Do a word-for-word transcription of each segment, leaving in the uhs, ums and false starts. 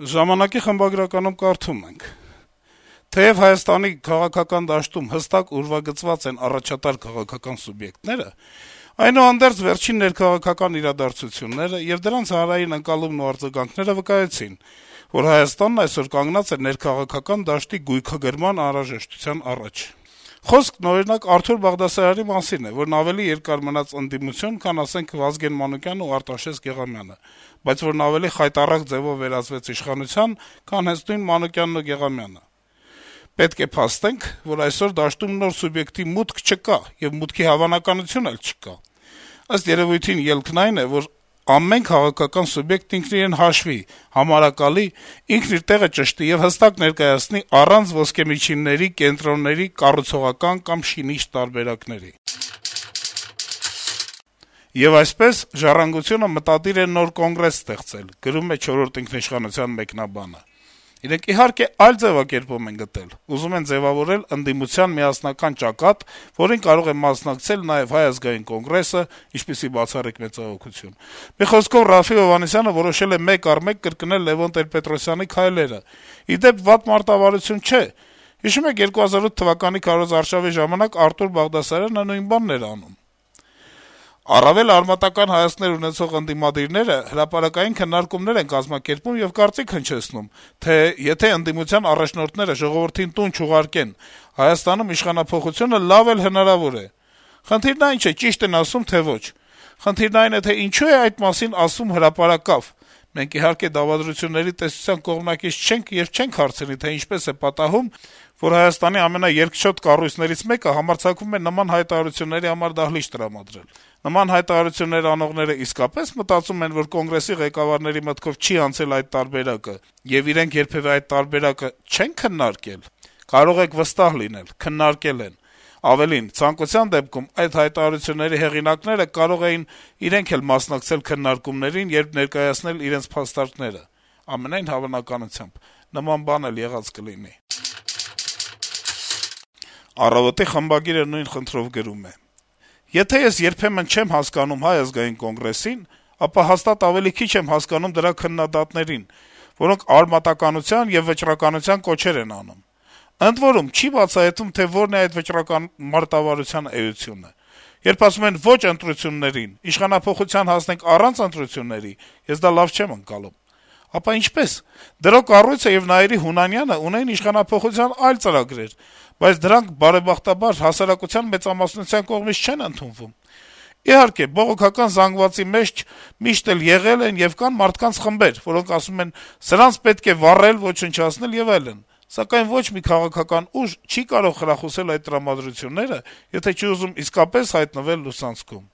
Ժամանակի խմբագրականում կարդում ենք. - «Թեև Հայաստանի քաղաքական դաշտում հստակ ուրվագծված են առաջատար քաղաքական սուբյեկտները, այնուհանդերձ վերջին ներքաղաքական իրադարձությունները եւ դրանց հանրային ընկալումն ու արձագանքները վկայեցին, որ Հայաստանն այսօր կանգնած է ներքաղաքական դաշտի գույքագրման անհրաժեշտության առաջ։ Խոսքն, օրինակ, Արթուր Բաղդասարյանի մասին է, որն ավելի երկար մնաց ընդդիմություն, քան, ասենք, Վազգեն Մանուկյանն ու Արտաշես Գեղամյանը, բայց որն ավելի խայտառակ ձեւով վերածվեց իշխանության, քան հենց նույն Մանուկյանն ու Գեղամյանը։ Պետք է փաստենք, որ այսօր դաշտում նոր սուբյեկտի մուտք չկա եւ մուտքի հավանականություն էլ չկա։ Ըստ երևույթին ելքն այն է, որ ամեն քաղաքական սուբյեկտ ինքն իրեն հաշվի, համարակալի, ինքն իր տեղը ճշտի եւ հստակ ներկայացնի առանց ոսկեմիջինների, կենտրոնների, կառուցողական կամ շինիչ տարբերակների։ Եվ այսպես «Ժառանգությունը» մտադիր է նոր կոնգրես ստեղծել», գրում է «Չորրորդ ինքնիշխանության» մեկնաբանը։ Իրենք իհարկե այլ ձեւակերպում են գտել, ուզում են ձեւավորել ընդդիմության միասնական ճակատ, որին կարող է մասնակցել նաեւ Հայ ազգային կոնգրեսը, ինչպիսի բացառիկ մեծահոգություն։ Մի խոսքով Րաֆֆի Հովհաննիսյանը որոշել է մեկ առ մեկ կրկնել Լեւոն Տեր-Պետրոսյանի քայլերը։ Ի դեպ, վատ մարտավարություն չէ։ Հիշում եք երկու հազար ութ թվականի քարոզարշավի ժամանակ Արթուր Բաղդասարյանը նույն բանն էր անում։ Առավել արմատական հայացքներ ունեցող ընդդիմադիրները հրապարակային քննարկումներ են կազմակերպում եւ կարծիք հնչեցնում, թե եթե ընդդիմության առաջնորդները ժողովրդին տուն չուղարկեն, Հայաստանում իշխանափոխությունը լավ էլ հնարավոր է։ Խնդիրն այն չէ, ճիշտ են ասում, թե ոչ։ Խնդիրն այն է, թե ինչու է այդ մասին ասում հրապարակավ։ Մենք իհարկե դավադրությունների տեսության կողմնակից չենք եւ չենք հարցնի, թե ինչպես է պատահում, որ Հայաստանի ամենաերկչոտ կառույցներից մեկը համարձակվում է նման հայտարարությունների համար դահլիճ տրամադրել։ Նման հայտարարություններ անողները իսկապես մտածում են, որ կոնգրեսի ղեկավարների մտքով չի անցել այդ տարբերակը, եւ իրենք երբեւէ այդ տարբերակը չեն քննարկել։ Կարող եք վստահ լինել, քննարկել են։ Ավելին, ցանկության դեպքում այդ հայտարարությունների հեղինակները կարող էին իրենք էլ մասնակցել քննարկումներին, երբ ներկայացնել իրենց փաստարկները։ Ամենայն հավանականությամբ նման բան էլ եղած կլինի։ «Առավոտ»-ի խմբագիրը նույն խնդրով գրում է. - «Եթե ես երբեմն չեմ հասկանում Հայ ազգային կոնգրեսին, ապա հաստատ ավելի քիչ եմ հասկանում դրա քննադատներին, որոնք արմատականության եւ վճռականության կոչեր են անում։ Ընդ որում, չի բացահայտվում, թե որն է այդ վճռական մարտավարության էությունը։ Երբ ասում են ոչ ընտրություններին, իշխանափոխության հասնենք առանց ընտրությունների, ես դա լավ չեմ ընկալում։ Ապա ինչպես։ Դրո կառույցը եւ Նայիրի Հունանյանը ունեն իշխանափոխության այլ ծրագրեր, բայց դրանք բարեբախտաբար հասարակության մեծամասնության կողմից չեն ընդունվում։ Իհարկե, բողոքական զանգվածի մեջ միշտ էլ եղել են եւ կան մարդկանց խմբեր, որոնք ասում են սրանց պետք է վառել, ոչնչացնել եւ այլն, սակայն ոչ մի քաղաքական ուժ չի կարող խրախուսել այդ տրամադրությունները, եթե չի ուզում իսկապես հայտնվել լուսանցքում»։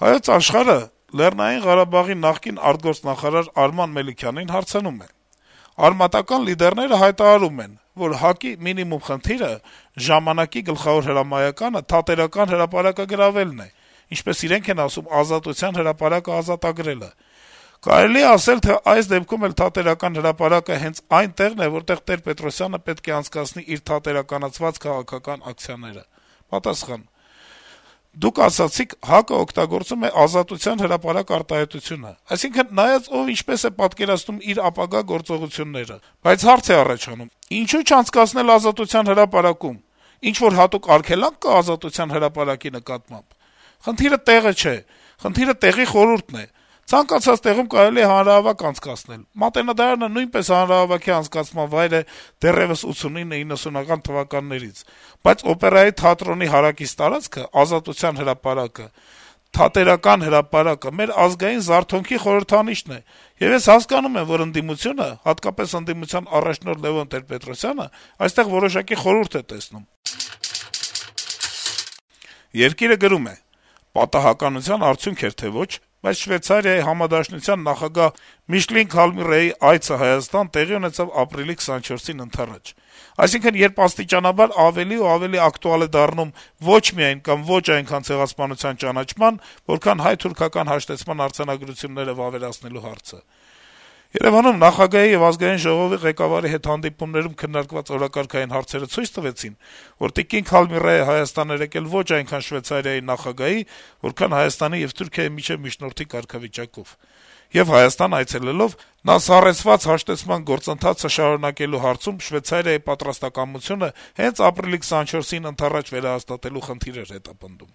Հայոց Աշխարհը Լեռնային Ղարաբաղի նախկին արտգործնախարար Արման Մելիքյանին հարցնում է. - «Արմատական լիդերները հայտարարում են, որ ՀԱԿ-ի մինիմում խնդիրը, ժամանակի գլխավոր հրամայականը Թատերական հրապարակը գրավելն է, ինչպես իրենք են ասում, Ազատության հրապարակը ազատագրելը։ Կարելի է ասել, թե այս դեպքում էլ Թատերական հրապարակը հենց այն տեղն է, որտեղ Տեր-Պետրոսյանը պետք է անցկացնի իր թատերականացված քաղաքական ակցիաները»։ Պատասխան. - «Դուք ասացիք, ՀԱԿ-ը օգտագործում է Ազատության հրապարակ արտահայտությունը, այսինքն նայած ով ինչպես է պատկերացնում իր ապագա գործողությունները, բայց հարց է առաջանում. ինչու չանցկացնել Ազատության հրապարակում, ինչ-որ հատուկ արգելա՞նք կա Ազատության հրապարակի նկատմամբ։ Խնդիրը տեղը չէ, խնդիրը տեղի խորհուրդն է։ Ցանկացած տեղում կարելի է հանրահավաք անցկացնել, Մատենադարանը նույնպես հանրահավաքի անցկացման վայր է դեռեւս ութսունինը իննսունական թվականներից, բայց Օպերայի թատրոնի հարակից տարածքը, Ազատության հրապարակը, Թատերական հրապարակը մեր ազգային զարթոնքի խորհրդանիշն է, եւ ես հասկանում եմ, որ ընդդիմությունը, հատկապես ընդդիմության առաջնորդ Լեւոն Տեր-Պետրոսյանը այստեղ որոշակի խորհուրդ է տեսնում»։ Երկիրը գրում է. - «Պատահականության արդյունք էր թե ոչ, բայց Շվեյցարիայի համադաշնության նախագահ Միշլին Քալմիրեի այցը Հայաստան տեղի ունեցավ ապրիլի քսանչորսին ընդառաջ։ Այսինքն, երբ աստիճանաբար ավելի ու ավելի ակտուալ է դառնում ոչ միայն կամ ոչ այնքան ցեղասպանության ճանաչման, որքան հայ-թուրքական հաշտեցման արձանագրությունները վավերացնելու հարցը։ Երեւանում նախագահի եւ Ազգային ժողովի ղեկավարի հետ հանդիպումներում քննարկված օրակարգային հարցերը ցույց տվեցին, որ տիկին Քալմիրեը Հայաստան էր եկել ոչ այնքան Շվեյցարիայի նախագահի, որքան Հայաստանի եւ Թուրքիայի միջեւ միջնորդի կարգավիճակով։ եւ Հայաստան այցելելով նա սառեցված հաշտեցման գործընթացը շարունակելու հարցում Շվեյցարիայի պատրաստակամությունը հենց ապրիլի քսաներկուսին ընդառաջ վերահաստատելու խնդիր էր հետապնդում: